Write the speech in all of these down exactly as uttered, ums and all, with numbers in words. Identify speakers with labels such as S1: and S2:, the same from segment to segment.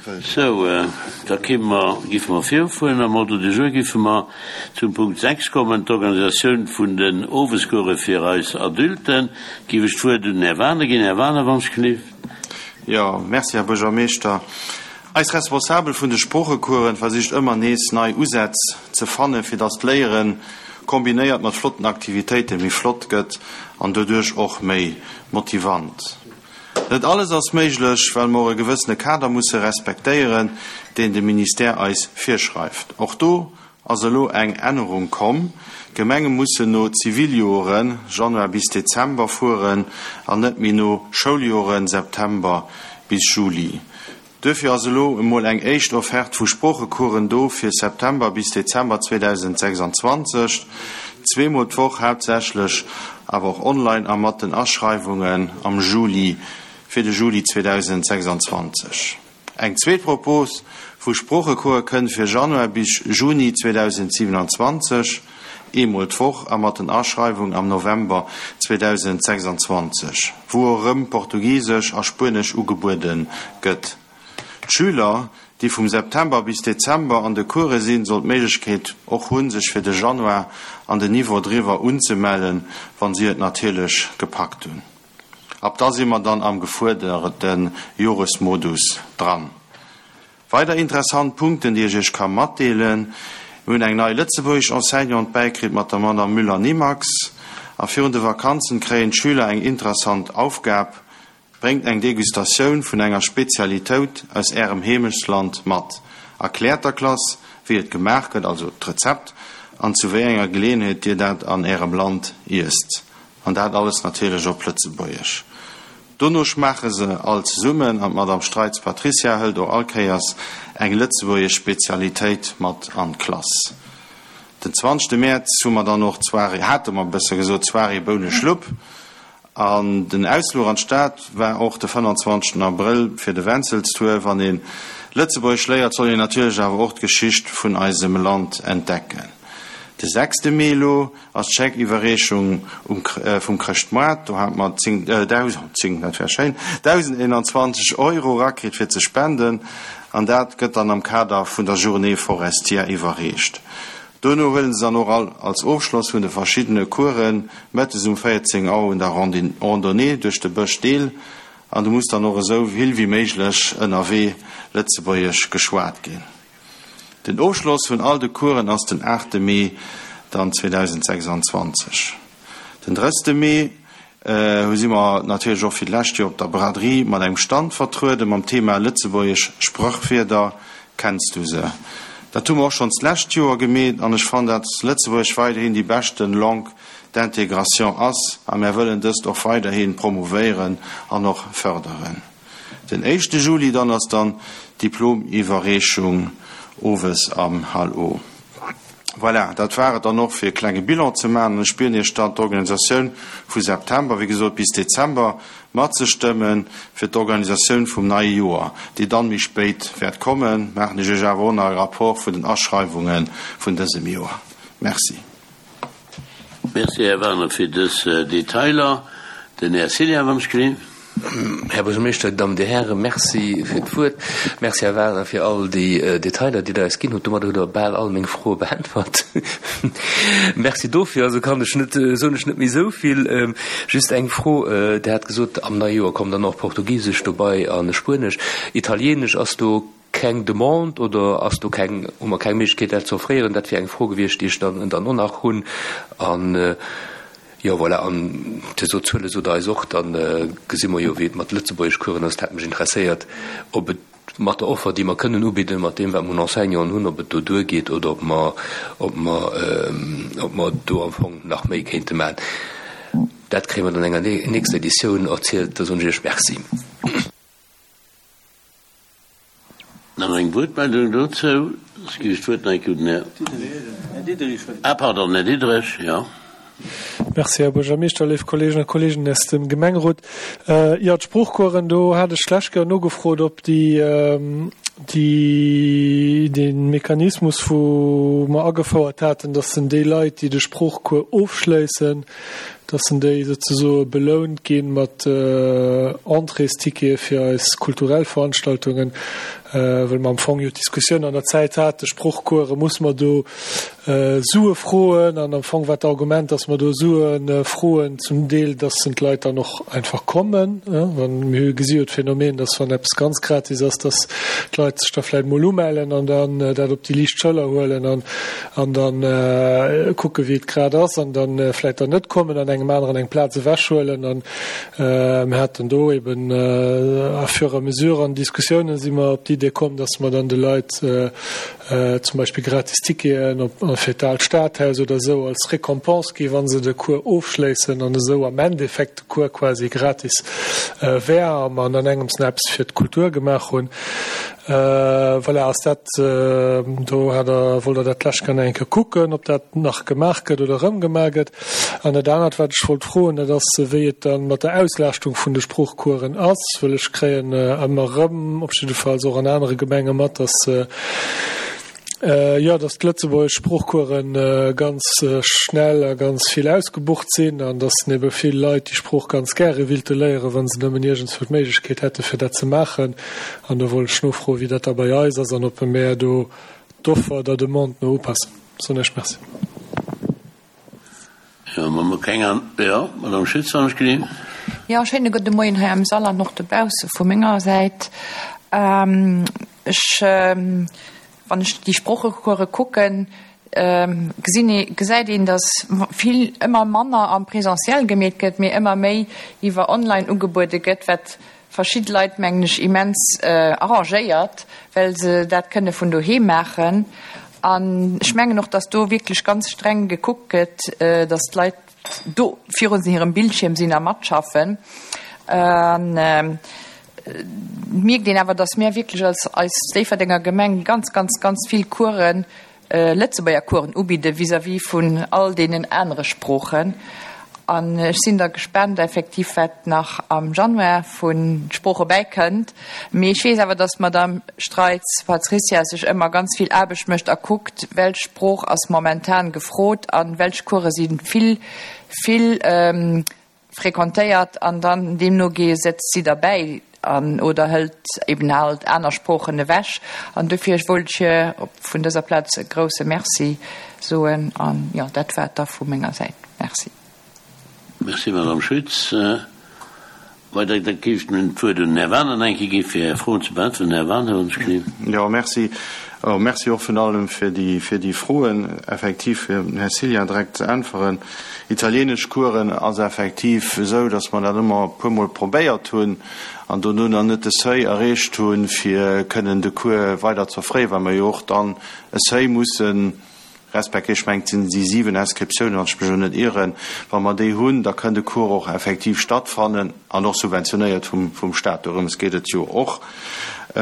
S1: Sou, da kéime mer, giffe mer virfueren. Am Ordre du jour giffe mer zum Punkt sechs kommen, d'Organisatioun vun den Owescourse fir eis Adulten. Giff ech d'Wuert un den Här Wagener ginn. Här Wagener, wann ech gelift.
S2: Jo, merci, Här Buergermeeschter. Eis Responsabel vun de Sproochecoursen versicht ëmmer nees nei Usätz ze fannen, fir dass d'Léieren kombinéiert mat flotten Aktivitéiten méi flott gëtt an doduerch och méi motivant. Net alles ass méiglech, well mer och e gewëssene Kader musse respektéieren, deen de Ministère eis virschreift. Och do ass elo eng Ännerung komm, D'Gemenge mussen no Ziviljoren, Januar bis Dezember, fueren an net méi no Schouljoren, September bis Juli. Duerfir ass elo emol eng éischt Offerte vu Sproochecoursen do fir September bis Dezember zweedausendsechsanzwanzeg, zweemol d'Woch, haaptsächlech awer och online a mat den Aschreiwungen am Juli fir de Juli zweedausendsechsanzwanzeg. Eng zweet Propos vu Sproochecourse kënnt fir Januar bis Juni zweedausendsiewenanzwanzeg, eemol d'Woch a mat den Aschreiwung am November zweedausendsechsanzwanzeg, wou och erëm Portugisesch a Spuenesch ugebuede gëtt. D'Schüler, déi vum September bis Dezember an de Course sinn, soll d'Méiglechkeet och hunn, sech fir de Januar an den Niveau driwwer unzemellen, wann si et natierlech gepackt hunn. Ab da si mer dann am gefuerderte Joresmodus dran. Weider interessant Punkten, déi ech Iech ka matdeelen, Mir hunn eng nei lëtzebuergesch Enseignante bäikritt mat der Madame Müller-Nimax a virun de Vakanzen kréien d'Schüler eng interessant Aufgab, Bréngt eng Degustatioun vun enger Spezialitéut aus Ärem Heemechtsland mat. Erkläert der Klass, wéi et gemaach gëtt, also d'Rezept, an zu wéi enger Geleeënheet Dir dat an Ärem Land iesst. An dat alles natierlech op Lëtzebuergesch. Dono schmaache se all zesummen an d'Madame Streitz Patricia hëlt och all Kéiers eng lëtzebuergesch Spezialitéit mat an d'Klass. Den zwanzegste Mäerz hu mer dann och d'Soirée, hate mer besser gesot, d'Soirée Bouneschlupp. An den Ausfluch an d'Stad war och de fënnanzwanzegsten Abrëll fir de Wenzelstour. Wann ee Lëtzebuergesch léiert, soll een natierlech awer och d'Geschicht vun eisem Land entdecken. De sechste Mee elo ass d'Scheckiwwerreechung vum Chrëschtmoart. Do hate mer zéng, dausend, zéng, dat wär schéin, dausendeenanzwanzeg Euro erakritt fir ze spenden. An dat gëtt dann am Kader vun der Journée forestière iwwerreecht. Dono huelen se dann och all als Ofschloss vun de verschiddene Coursen mëttes um véierzéng Auer un der Randonnée duerch de Bësch deel an do muss dann och esou vill wéi méiglech ënnerwee Lëtzebuergesch geschwat ginn. Den Ofschloss vun all de Coursen ass den aachte Mee dann zweedausendsechsanzwanzeg. Den drësste Mee hu si mer natierlech och fir d'lescht Joer op der Braderie mat engem Stand vertrueden mam Thema Lëtzebuergesch Sprachwierder, Kenns du se? Dat hu mer och schonns d'lescht Joer gemeet an ech fannen, dat Lëtzebuergesch weiderhin déi beschten Langue d'intégration ass a mär wëllen dëst och weiderhi promouvéieren an och förderen. Den éischte Juli dann ass dann d'Diplomiwwerreechung owes am Hall O. Voilà, dat war et dann och fir e klenge Bilan ze maachen. An ech bieden Iech dann, d'Organisatioun vu September, wéi gesot, bis Dezember matzestëmmen fir d'Organisatioun vum neie Joer, déi dann méi spéit wäert kommen. Maachen ech Iech awer och nach e Rapport vun den Aschreiwunge vun dësem Joer. Merci.
S1: Merci, Här Werner, fir dës Detailer. Den Här Cillien, wann ech gelinn.
S3: Här Buergermeeschter, Dir Dammen, Dir Hären, Merci fir d'Wuert. Merci, Här Wagner, fir all déi Detailer, déi Der eis ginn hutt. Domadder hutt Der bal all meng Froe beäntwert. Merci dofir. Also kann ech net, soen ech net méi esou vill. Just eng Fro, Der hat gesot, am neie Joer kommt dann och Portugisesch dobei a Spuenesch. Italienesch, ass do keng Demande oder ass do keng, hu mer keng Méiglechkeet, dat ze offréieren? Dat wier eng Fro gewiescht, déi ech dann dann och nach hunn. An. Jo, voilà, an Dir sot, d'Zuele sot Der eis och, da gesi mer jo, wéi et mat Lëtzebuergeschcoursen ass. Et hätt mech interesséiert, ob et mat der Offer, déi mer kënnen ubidden, mat deem, wat mer un Enseignanten hunn, ob et do duergeet oder ob mer, ob mer, ob mer do am Fong nach méi kéinte maachen. Dat kréie mer dann an enger nächster Editioun erzielt. Da soen ech Iech Merci.
S1: Nach eng Wuertmeldung dozou? Soss ginn ech d'Wuert nach eng Kéier un den Här. Ah, pardon, Här Diderich, jo.
S4: Merci, Här Buergermeeschter, léif Kolleeginnen a Kolleegen aus dem Gemengerot. Jo, d'Sproochcoursen, do hat ech d'lescht Kéier nogefrot, ob déi, déi, dee Mechanismus, wou mer agefouert haten, dass en déi Leit, déi de Sproochcours ofschléissen, dass en déi souzesoe belount gi mat Entréestickete fir eis kulturell Veranstaltungen. well mer am Fong jo d'Diskussioun an der Zäit hate, Sproochcoursen, muss mer do Sue froen? An am Fong war d'Argument, dass mer do Sue froen, zum Deel, dass d'Leit dann och einfach kommen. Mir gesi jo d'Phänomen, dass wann eppes ganz gratis ass, dass d'Leit sech da vläicht mol umellen an dann dat op déi liicht Schëller huelen an an dann kucke wéi et grad ass an dann vläicht dann net kommen an engem aneren eng Plaz ewechhuelen. An mir haten do eben à fur et à mesure an Diskussiounen si mer op d'Idee komm, dass mer dann de Leit zum Beispill gratis Ticketen op fir d'Aalt Stadhaus oder esou als Récompense gi wa se de Cours ofschléissen an esou am Endeffekt de Cours quasi gratis wär a mer an engems nach eppes fir d'Kultur gemaach hunn. Voilà, ass dat, do hat Der, wollt Der dat lech gerne eng Kéier kucken, ob dat nach gemaach gëtt oder erëm gemaach gëtt. An dat anert, wat ech wollt froen, dat ass, wéi et dann mat der Auslaaschtung vun de Sproochcoursen ass, well ech kréien ëmmer erëm, op jiddefalls och an anere Gemenge mat, dass, jo, dass d'lëtzebuergesch Sproochcoursen ganz schnell a ganz vill ausgebucht sinn an dass ebe vill Leit déi Sprooch ganz gäre willte léieren, wa se nëmmen iergendswou d'Méiglechkeet hätte fir dat ze maachen. An do wollt ech nofroen, wéi dat da bei eis ass an ob mer do d'Offer der Demande no upassen. Soen ech Merci.
S1: Jo, mer hu keng an. Jo, Madame Schütz, wann ech gelinn.
S5: Jo, schéine gudde Moien hei am Sall an och dobausse vu menger Säit. Ech, wann ech déi Sproochecourse kucken, gesinn ee, gesäit een, datt vill ëmmer manner am Présentiel gemeet gëtt, mee ëmmer méi iwwer online ugebuede gëtt, wat verschidde Leit, mengen ech, immens arrangéiert, well se dat kënne vun doheem maachen. An ech mengen och, datt do wierklech ganz streng gekuckt gëtt, datt d'Leit do virun hirem Bildschierm sinn a matschaffen. An et mierkt een awer, datt mir wierklech als eis Déifferdenger Gemeng ganz, ganz, ganz vill Coursen, Lëtzebuerger Coursen ubidde vis-à-vis vun all deenen anere Sproochen. An ech sinn da gespaant effektiv, wat nach am Januar vu Sprooche bäikënnt. Mee ech weess awer, datt d'Madame Streitz Patricia sech ëmmer ganz vill Aarbecht mécht a kuckt, welch Sprooch ass momentan gefrot a welch Course si vill, vill fréquentéiert an dann deemno ge setzt si derbäi an oder hëlt eben halt aner Sproochen ewech. An dofir wollt ech hir vun dëser Plaz e grouse Merci soen an jo, dat war et da vu menger Säit. Merci.
S1: Merci, Madame Schütz. Weider, da géif ech nun d'Wuert un den Här Wagener eng Kéier gi fir Är Froen ze beäntweren. Här Wagener, hunn ech gesinn.
S2: Jo, merci. Merci och virun allem fir déi, fir déi Froen. Effektiv, fir dem Här Cillien direkt ze äntweren, Italienesch Coursen ass effektiv esou, datt mer dat ëmmer e puermol probéiert hunn an dono nach net de Seuil erreecht hunn, fir kënnen de Cours weider ze offréieren, well mer jo och dann e Seuil mussen respektieren. Ech mengen, et sinn déi siwen Inscriptiounen, wann ech mech elo net ieren. Wa mer déi hunn, da kënn de Cours och effektiv stattfannen an och subventionéiert vum, vum Stat. Dorëms geet et jo och. Do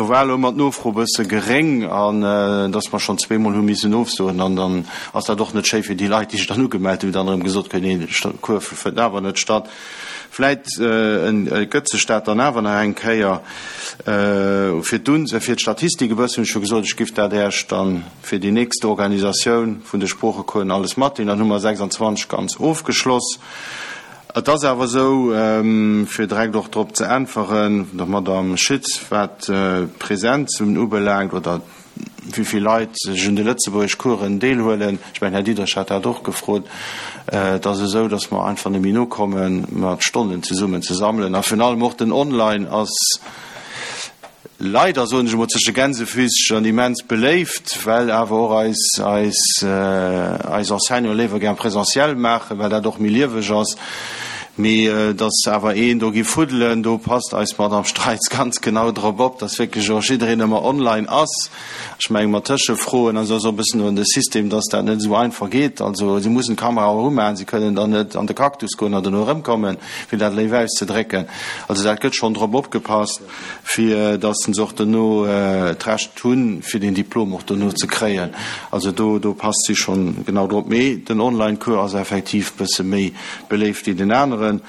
S2: war elo ëmmer d'Nofro e bësse geréng an dass mer schonn zweemol hu missen ofsoen. An dann ass dat och net schéi fir déi Leit, déi sech dann ugemellt hunn, dann erëm gesot kréien, nee, de Cours fënnt awer net statt. Vläit gëtt sech dat dann awer nach eng Kéier. Fir d'Un, fir d'Statistik e bëssen, hunn ech jo gesot, ech giff dat Äech dann fir déi nächst Organisatioun vun de Sproochecoursen alles matdeelen. Dann hu mer sechsundzwanzeg ganz ofgeschloss. Et ass awer esou, fir direkt och drop ze äntweren, der Madame Schütz, wat d'Präsenz ubelaangt oder wéi vill Leit sech un de Lëtzebuergeschcoursen deelhuelen, ech mengen, Här Diderich hat dat och gefrot, et ass esou, datt mer einfach net méi nokommen, mat Stonnen zesummen ze sammelen. A virun allem och den Online ass leider, soen ech emol zwësche Gänsefüßchen, immens beléift, well awer och eis, eis, eis Enseignanten léiwer gär présentiel maachen, well dat och méi lieweg ass. Mee dass awer een do giff fuddelen, do passt eis Madame Streitz ganz genau drop op, dass wierklech och jiddereen ëmmer online ass. Ech menge mat Tëschefroen, also ass och e bëssen un de System, dass dat net esou einfach geet. Also si mussen d'Kamera och umaachen, si kënnen dann net an de Cactus goen an dono erëmkommen, fir dat léif auszedrécken. Also dat gëtt schonn drop opgepasst, fir dass se och dono d'Recht hunn, fir den Diplom och dono ze kréien. Also do, do passt si schonn genau drop. Mee den Online-Cours ass effektiv bësse méi beléift wéi den aneren. këmmeren.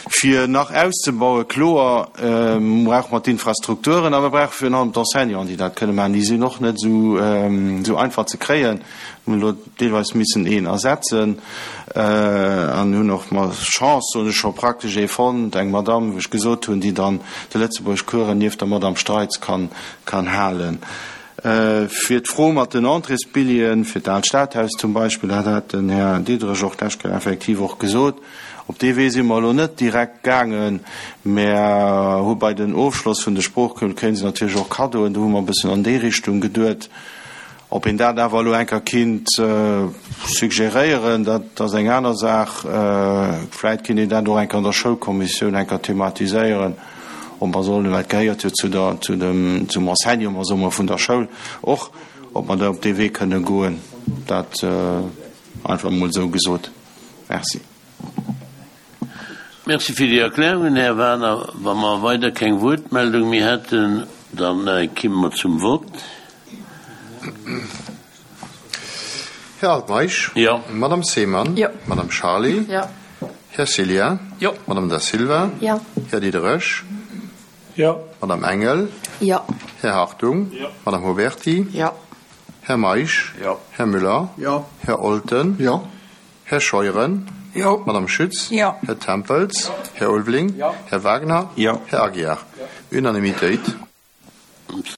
S2: Fir nach auszebauen, kloer, brauche mer d'Infrastrukturen a mer brauche virun allem d'Enseignanten, déi dat kënne maachen. Déi sinn och net esou einfach ze kréien. Mir hunn elo deelweis missen een ersetzen an hunn och mat Chance, soen ech, scho praktesch ee fonnt, eng Madamm, wou ech gesot hunn, déi dann de Lëtzebuergeschcoursen nieft der Madamm Streitz kann halen. Fir d'Fro mat den Entréesbilljeeën fir d'Aalt Stadhaus zum Beispill, dat hat den Här Diderich och d'lescht Kéier effektiv och gesot, op dee Wee si mer elo net direkt gaangen, mä hu bei den Ofschloss vun de Sproochcourse kréie se natierlech och Kaddoen, do hu mer e bëssen an déi Richtung geduet. Ob een dat awer elo eng Kéier kinnt suggeréieren, dat ass eng aner Saach. Vläit kinnt een dat och eng Kéier an der Schoulkommissioun eng Kéier thematiséieren. Ob mer sollen, well et gehéiert jo zu der, zu dem, zum Enseignement, soe mer, vun der Schoul och, ob mer da op dee Wee kënne goen, dat einfach emol esou gesot. Merci.
S1: Merci fir déi Erklärungen, Här Wagener. Wa mer weider keng Wuertmeldung méi hätten, da kimme mer zum Vott.
S6: Här Altmeisch.
S1: Jo.
S6: Madame Seemann.
S5: Jo.
S6: Madame Charlé.
S5: Jo.
S6: Här Cillien.
S3: Jo.
S6: Madame Da Silva.
S5: Jo.
S6: Här Diderich.
S4: Jo.
S6: Madame Engel.
S5: Jo.
S6: Här Hartung.
S4: Jo.
S6: Madame Huberty.
S5: Jo.
S6: Här Meisch.
S1: Jo.
S6: Här Müller.
S7: Jo.
S6: Här Olten.
S7: Jo.
S6: Här Scheuren.
S7: Jo.
S6: Madame Schütz.
S5: Jo.
S6: Här Tempels. Jo. Här Ulveling.
S7: Jo.
S6: Här Wagner.
S2: Jo.
S6: Här Aguiar. Jo. Unanimitéit.